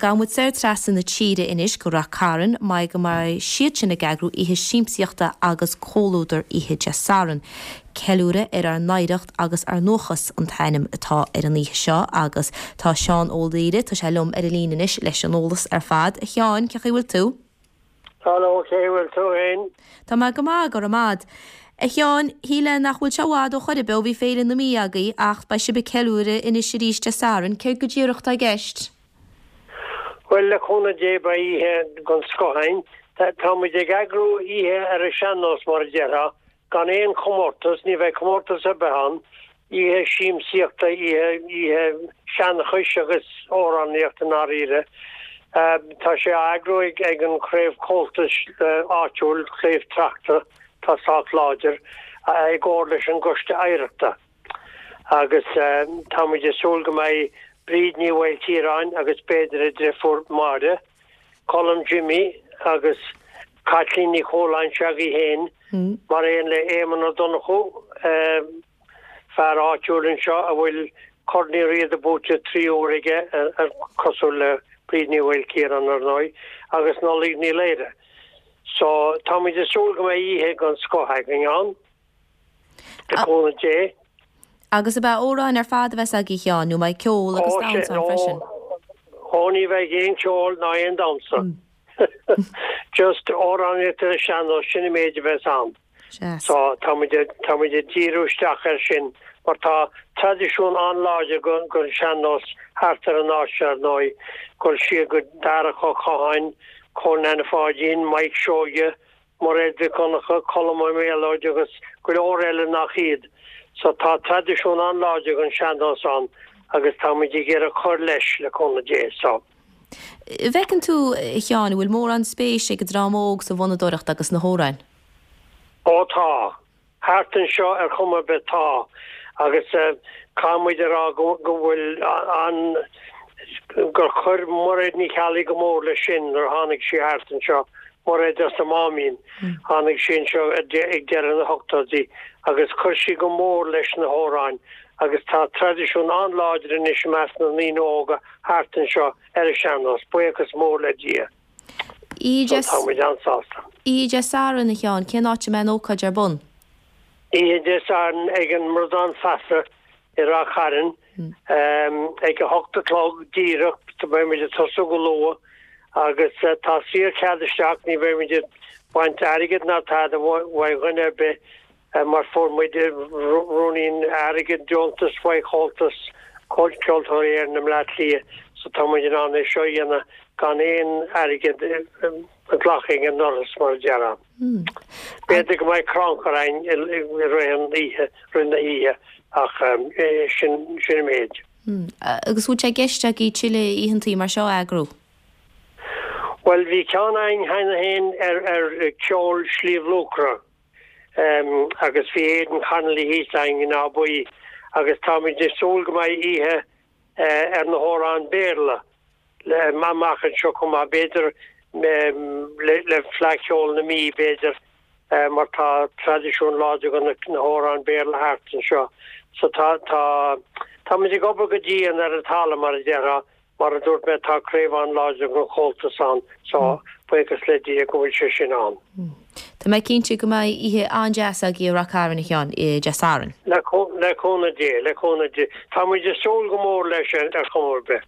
gabhfaidh muid soir trasna na tíre anois go Rath Cairn mar go mbeidh siad sin ag eagrú oíche siamsaíochta agus comhluadar oíche Dé Sathairn. Ceiliúradh ar ár n-oidhreacht agus ár ndúchas an t-ainm atá ar an oíche seo agus tá Seán Ó Laoire, tá sé liom ar an líne anois leis an eolas ar fad. A Sheáin, cén chaoi a bhfuil tú? Hello, cén chaoi a bhfuil tú fhéin? Tá mé go maith, go raibh maith a'd. A Sheáin, shílfeá nach bhfuil sé i bhfad ó chor ar bith ó bhí Féile na Mí agaibh ach beidh sibh ag ceiliúradh anois arís Dé Sathairn. Céard go díreach atá i gceist? Bhuel, le cúnamh Dé beidh oíche den scoth againn. Tá muid ag eagrú oíche ar an sean-nós mar a déarfá, Gan aon chomórtas, ní bheidh comórtas ar bith ann, oíche siamsaíochta, oíche, oíche seanchais agus amhránaíochta i ndáiríre. Tá sé á eagrú ag, ag an chraobh Comhaltais áitiúil, Craobh Tráchta, atá sách láidir, i gcomhar leis an gCoiste Oidhreachta. Agus tá muid ag súil go mbeidh Bríd Ní Mhaoilchiaráin agus b'fhéidir a driofúr Máire, Colm Jimmy agus Caitlín Ní Chualáin s'agaibh féin, mar aon le Éamonn Ó Donnchú, fear áitiúil anseo a bhfuil Corn Uí Riada buaite 3 huair aige, cosúil le Bríd Ní Mhaoilchiaráin ar ndóigh, agus Nollaig Ní Laoire. So, táimid ag súil go mbeidh oíche den scoth againn ann, le cúnamh Dé. Agus ab ea amhráin ar fad a bheas agaibh a Sheáin, nó mbeidh ceol agus damhsa ann freisin? Ó, ní bheidh aon cheol ná aon damhsa. Just amhránaíocht ar an sean-nós, sin an méid a bheas ann. So, tá muid, tá muid ag díriú isteach air sin mar tá traidisiún an-láidir den sean-nós thart ar an áit seo ar ndóigh, dul siar go Darach Ó Catháin, Cóil Nanna Pháidín, Mike Seoige, Mairéad Mhic Dhonncha, Colm Ó Méalóid agus go leor eile nach iad. So tá traidisiún an-láidir den sean-nós ann agus tá muid ag iarraidh cur leis, le cúnamh Dé. So. An bhfeiceann tú, a Sheáin, an bhfuil mórán spéis ag an dream óg sa bhfonnadóireacht agus sna hamhráin? Ó tá. Thart anseo ar chuma ar bith tá. Agus caithfidh muid a rá go bhfuil an, gur chuir Mairéad Ní Cheallaigh go mór leis sin nuair a tháinig sí thart anseo, Mairéad as an Máimín, tháinig sí anseo ag deireadh na hochtóidí agus chuir sí go mór leis na hamhráin agus tá traidisiún an-láidir anois i measc na ndaoine óga thart anseo ar an sean-nós, buíochas mór le Dia. Oíche So tá muid an-sásta. Oíche Dé Sathairn, a Sheáin, cén áit a mbeidh an ócáid ar bun? Oíche Dé Sathairn ag an mBradán Feasa i Ráth Chairn ag a hocht a chlog díreach. Beidh muid ag tosú go luath agus tá saor-chead isteach, ní bheidh muid ag baint airgead ná tada uaidh dhuine ar bith. mar fuair muid ruainnín airgid, deontas uaidh Chomhaltas Ceoltóirí Éireann i mBleá Cliath so tá muid in ann é seo a dhéanamh gan aon airgead a ghlacadh ag an ndoras mar a déarfá. B'fhéidir go mbeidh crannchur againn i rith an oíche, rith na hoíche ach sin sin an méid. Agus bhfuil sé i gceist agaibh tuilleadh oícheantaí mar seo a eagrú? Bhuel bhí ceann againn cheana féin ar ar ceol Shliabh Luachra. agus bhí Aidan Connolly thíos againn in Áth Buí agus táimid ag súil go mbeidh oíche ar na hamhráin Béarla amach anseo chomh maith, b'fhéidir le Fleadh Cheoil na Mí, b'fhéidir, mar tá traidisiún láidir de na hamhráin Béarla thart anseo. So tá, tá, táimid ag obair go dian ar an talamh, mar a déarfá, Mar a dúirt mé, tá craobh an-láidir den Chomhaltas ann so buíochas le Dia go bhfuil sé sin ann. Tá mé cinnte go mbeidh oíche an-deas agaibh i Rath Cairn, a Sheáin, Dé Sathairn. Le cúnamh Dé, le cúnamh Dé. Tá muid ag súil go mór leis ar chuma ar bith.